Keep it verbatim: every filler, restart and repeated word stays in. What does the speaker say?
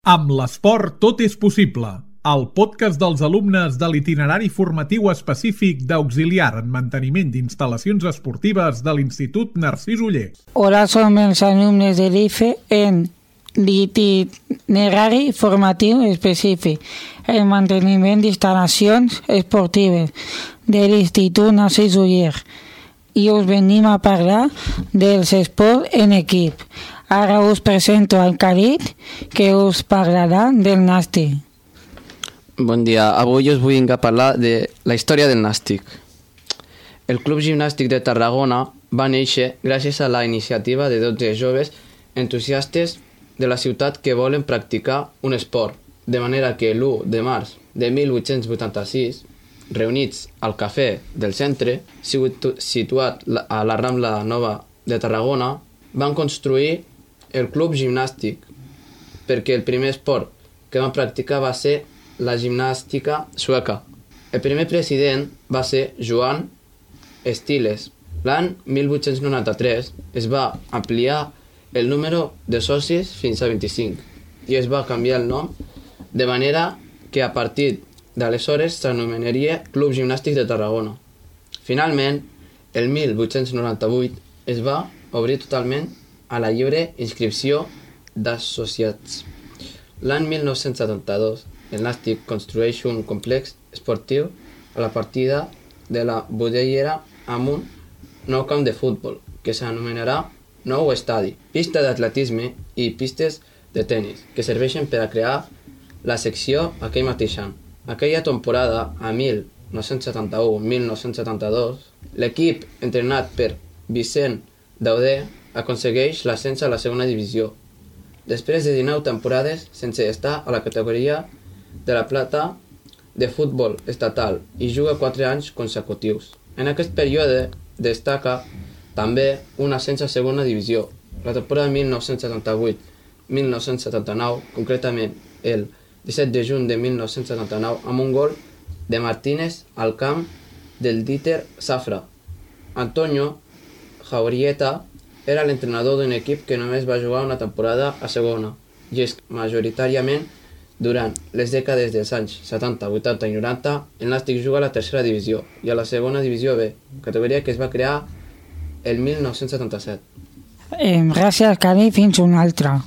Amb l'esport tot és possible. El podcast dels alumnes de l'itinerari formatiu específic d'auxiliar en manteniment d'instal·lacions esportives de l'Institut Narcís Oller. Hola, som els alumnes de l'I F E en l'itinerari formatiu específic en manteniment d'instal·lacions esportives de l'Institut Narcís Oller i us venim a parlar dels esports en equip. Ara us presento al Khalid, que us parlarà del nàstic. Bon dia, avui us vull parlar de la història del nàstic. El Club Gimnàstic de Tarragona va néixer gràcies a la iniciativa de dotze joves entusiastes de la ciutat que volen practicar un esport, de manera que l'u de març de mil vuit-cents vuitanta-sis, reunits al cafè del centre, situat a la Rambla Nova de Tarragona, van construir el Club Gimnàstic, perquè el primer esport que van practicar va ser la gimnàstica sueca. El primer president va ser Johan Stiles. L'any mil vuit-cents noranta-tres es va ampliar el número de socis fins a vint-i-cinc i es va canviar el nom, de manera que a partir d'aleshores s'anomenaria Club Gimnàstic de Tarragona. Finalment, el mil vuit-cents noranta-vuit es va obrir totalment a la lliure inscripció d'associats. L'any mil nou-cents setanta-dos, el nàstic construeix un complex esportiu a la partida de la Budellera amb un nou camp de futbol, que s'anomenarà nou estadi, pista d'atletisme i pistes de tennis, que serveixen per a crear la secció aquell mateix any. Aquella temporada, a mil nou-cents setanta-u a mil nou-cents setanta-dos, l'equip entrenat per Vicent Dauder aconsegueix l'ascens a la segona divisió, després de dinou temporades sense estar a la categoria de la plata de futbol estatal i juga quatre anys consecutius. En aquest període destaca també un ascens a segona divisió. La temporada mil nou-cents setanta-vuit a mil nou-cents setanta-nou, concretament el disset de juny de mil nou-cents setanta-nou, amb un gol de Martínez al camp del Dieter Safra. Antonio Jaurieta era l'entrenador d'un equip que només va jugar una temporada a segona, i és majoritàriament durant les dècades dels anys setanta, vuitanta i noranta, el nàstic juga a la tercera divisió i a la segona divisió B, categoria que es va crear el mil nou-cents setanta-set. Eh, gràcies, Khalid, fins una altra.